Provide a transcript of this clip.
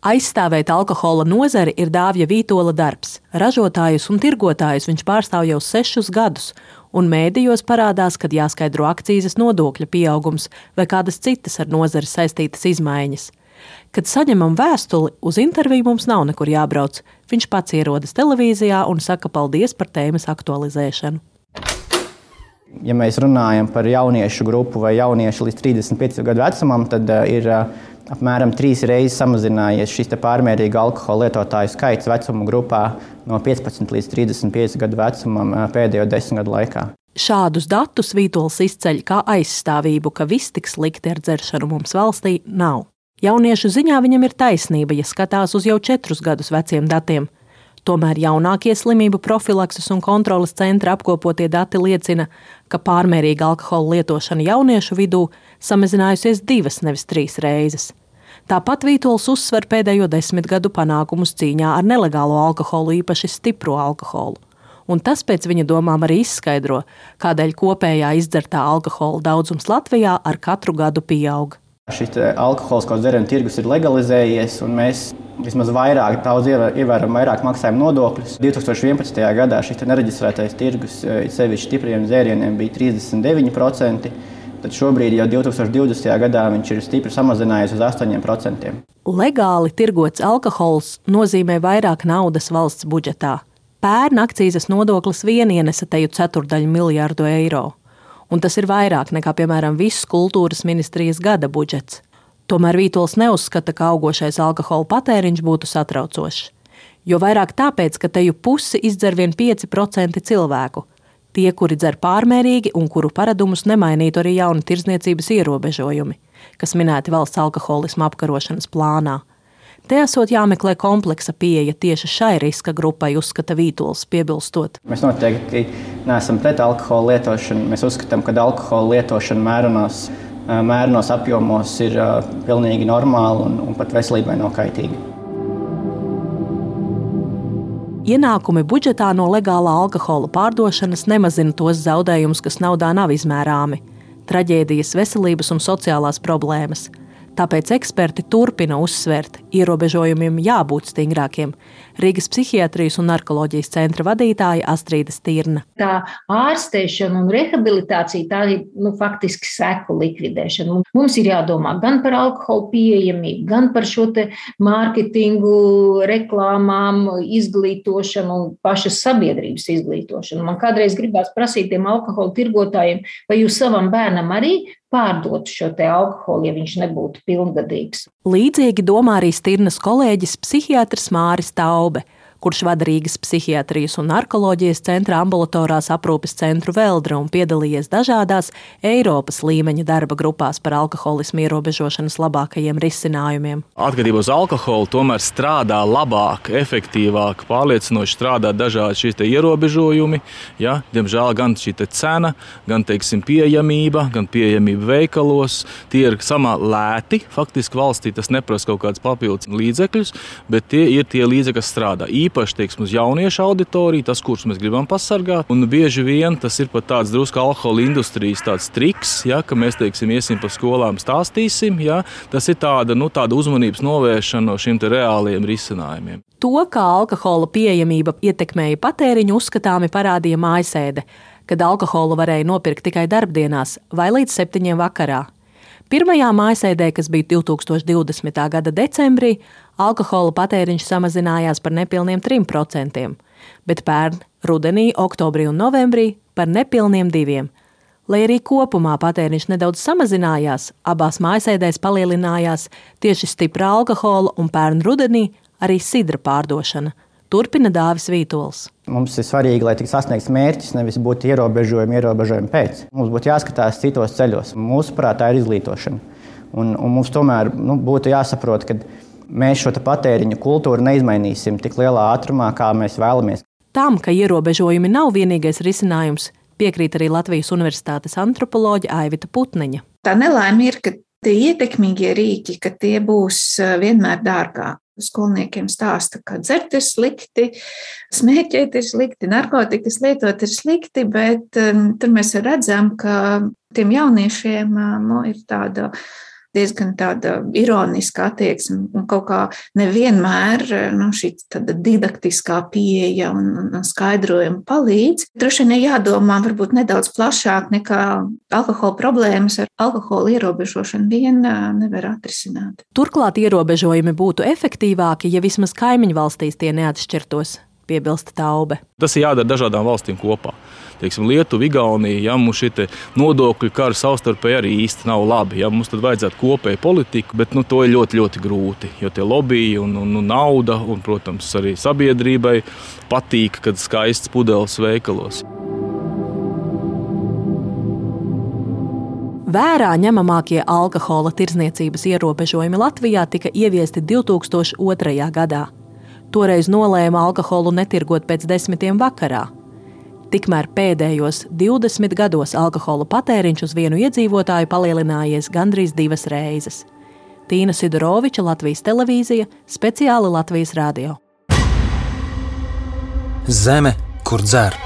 Aizstāvēt alkohola nozari ir Dāvja Vītola darbs. Ražotājus un tirgotājus viņš pārstāv jau 6 gadus, un mēdījos parādās, kad jāskaidro akcīzes nodokļa pieaugums vai kādas citas ar nozari saistītas izmaiņas. Kad saņemam vēstuli, uz interviju mums nav nekur jābrauc. Viņš pats ierodas televīzijā un saka paldies par tēmas aktualizēšanu. Ja mēs runājam par jauniešu grupu vai jauniešu līdz 35 gadu vecumam, tad ir apmēram 3 reizes samazinājies šis pārmērīga alkohola lietotāju skaits vecuma grupā no 15 līdz 35 gadu vecumam pēdējo 10 gadu laikā. Šādus datus Vītols izceļ kā aizstāvību, ka viss tik slikti ar dzeršanu mums valstī nav. Jauniešu ziņā viņam ir taisnība, ja skatās uz jau 4 gadus veciem datiem. Tomēr jaunākie slimību profilakses un kontroles centra apkopotie dati liecina, ka pārmērīga alkohola lietošana jauniešu vidū samazinājusies 2, nevis 3 reizes. Tāpat Vītols uzsver pēdējo 10 gadu panākumus cīņā ar nelegālo alkoholu, īpaši stipro alkoholu. Un tas pēc viņa domām arī izskaidro, kādēļ kopējā izdzertā alkohola daudzums Latvijā ar katru gadu pieaug. Šis alkoholisko dzērienu tirgus ir legalizējies, un mēs vismaz ievērojam vairāk maksājam nodokļus. 2011. gadā šis nereģistrētais tirgus sevišķi stipriem dzērieniem bija 39%, tad šobrīd jau 2020. gadā viņš ir stipri samazinājies uz 8%. Legāli tirgots alkohols nozīmē vairāk naudas valsts budžetā. Pērn akcīzes nodoklis vien ienesa teju 1/4 miljārdu eiro. Un tas ir vairāk nekā, piemēram, viss kultūras ministrijas gada budžets. Tomēr Vītols neuzskata, ka augošais alkohola patēriņš būtu satraucošs. Jo vairāk tāpēc, ka teju pusi izdzer vien 5% cilvēku. Tie, kuri dzer pārmērīgi un kuru paradumus nemainītu arī jauni tirdzniecības ierobežojumi, kas minēti valsts alkoholisma apkarošanas plānā. Te esot jāmeklē kompleksa pieeja tieši šai riska grupai, uzskata Vītols, piebilstot. Mēs noteikti neesam pret alkohola lietošanu. Mēs uzskatām, ka alkohola lietošana mērenos apjomos ir pilnīgi normāla un pat veselībai nav kaitīga. Ienākumi budžetā no legālā alkohola pārdošanas nemazina tos zaudējumus, kas naudā nav izmērāmi. Traģēdijas, veselības un sociālās problēmas. Tāpēc eksperti turpina uzsvērt, ierobežojumiem jābūt stingrākiem. Rīgas psihiatrijas un narkoloģijas centra vadītāja Astrīda Stirna. Tā ārstēšana un rehabilitācija, tā ir faktiski seku likvidēšana. Mums ir jādomā gan par alkoholu pieejamību, gan par šo te mārketingu, reklāmām, izglītošanu un pašas sabiedrības izglītošanu. Man kādreiz gribās prasīt tiem alkohola tirgotājiem, vai jūs savam bērnam arī pārdotu šo te alkoholu, ja viņš nebūtu pilngadīgs. Līdzīgi domā arī Stirnas kolēģis psihiatrs Māris Taube, kurš vada Rīgas psihiatrijas un narkoloģijas centra ambulatorās aprūpes centru Veldra un piedalījies dažādās Eiropas līmeņa darba grupās par alkoholismu ierobežošanas labākajiem risinājumiem. Atkarībā uz alkoholu tomēr strādā labāk, efektīvāk, pārliecinoši strādā dažādi šīs ierobežojumi. Ja? Diemžēl gan šī cena, gan pieejamība, gan pieejamība veikalos, tie ir samā lēti. Faktiski valstī tas neprasa kaut kāds papildus līdzekļus, bet tie ir tie līdzekļi, kas strādā. Īpaši, uz jauniešu auditoriju, tas, kurus mēs gribam pasargāt. Un bieži vien tas ir pat tāds drusku alkohola industrijas tāds triks, ja, ka mēs, iesim pa skolām, stāstīsim. Ja, tas ir tāda uzmanības novēršana no šiem reāliem risinājumiem. To, kā alkohola pieejamība ietekmēja patēriņu, uzskatāmi parādīja mājasēde, kad alkoholu varēja nopirkt tikai darbdienās vai līdz 7 vakarā. Pirmajā mājasēdē, kas bija 2020. gada decembrī, alkohola patēriņš samazinājās par nepilniem 3%, bet pērn, rudenī, oktobrī un novembrī par nepilniem 2%. Lai arī kopumā patēriņš nedaudz samazinājās, abās mājasēdēs palielinājās tieši stipra alkohola un pērn rudenī arī sidra pārdošana. Turpina Dāvis Vītols. Mums ir svarīgi, lai tiks sasniegts mērķis, nevis būtu ierobežojumi pēc. Mums būtu jāskatās citos ceļos. Mūsuprāt, tā ir izglītošana. Un mums tomēr būtu jāsaprot, ka mēs šo patēriņu kultūru neizmainīsim tik lielā ātrumā, kā mēs vēlamies. Tam, ka ierobežojumi nav vienīgais risinājums, piekrīt arī Latvijas Universitātes antropoloģe Aivita Putniņa. Tā nelaime ir, ka tie ietekmīgie rīki, ka tie būs vienmēr dārgāki. Skolniekiem stāsta, ka dzert ir slikti, smēķēt ir slikti, narkotikas lietot ir slikti, bet tur mēs redzam, ka tiem jauniešiem ir tāda diezgan tāda ironiska attieksme un kaut kā nevienmēr šī tāda didaktiskā pieeja un skaidrojuma palīdz. Droši vien jādomā varbūt nedaudz plašāk nekā alkohola problēmas ar alkohola ierobežošanu vien nevar atrisināt. Turklāt ierobežojumi būtu efektīvāki, ja vismaz kaimiņu valstīs tie neatšķirtos, piebilsta Taube. Tas ir jādara dažādām valstīm kopā. Teiksim, Lietuva, Igaunija, ja mums šie nodokļu kari savstarpēji arī īsti nav labi. Ja, mums tad vajadzētu kopēju politiku, bet to ir ļoti, ļoti grūti. Jo tie lobiji un nauda un, protams, arī sabiedrībai patīk, kad skaists pudeles veikalos. Vērā ņemamākie alkohola tirdzniecības ierobežojumi Latvijā tika ieviesti 2002. gadā. Toreiz nolēma alkoholu netirgot pēc 10 vakarā. Tikmēr pēdējos 20 gados alkohola patēriņš uz vienu iedzīvotāju palielinājies gandrīz 2 reizes. Tīna Sidoroviča, Latvijas televīzija, speciāli Latvijas radio. Zeme, kur dzer.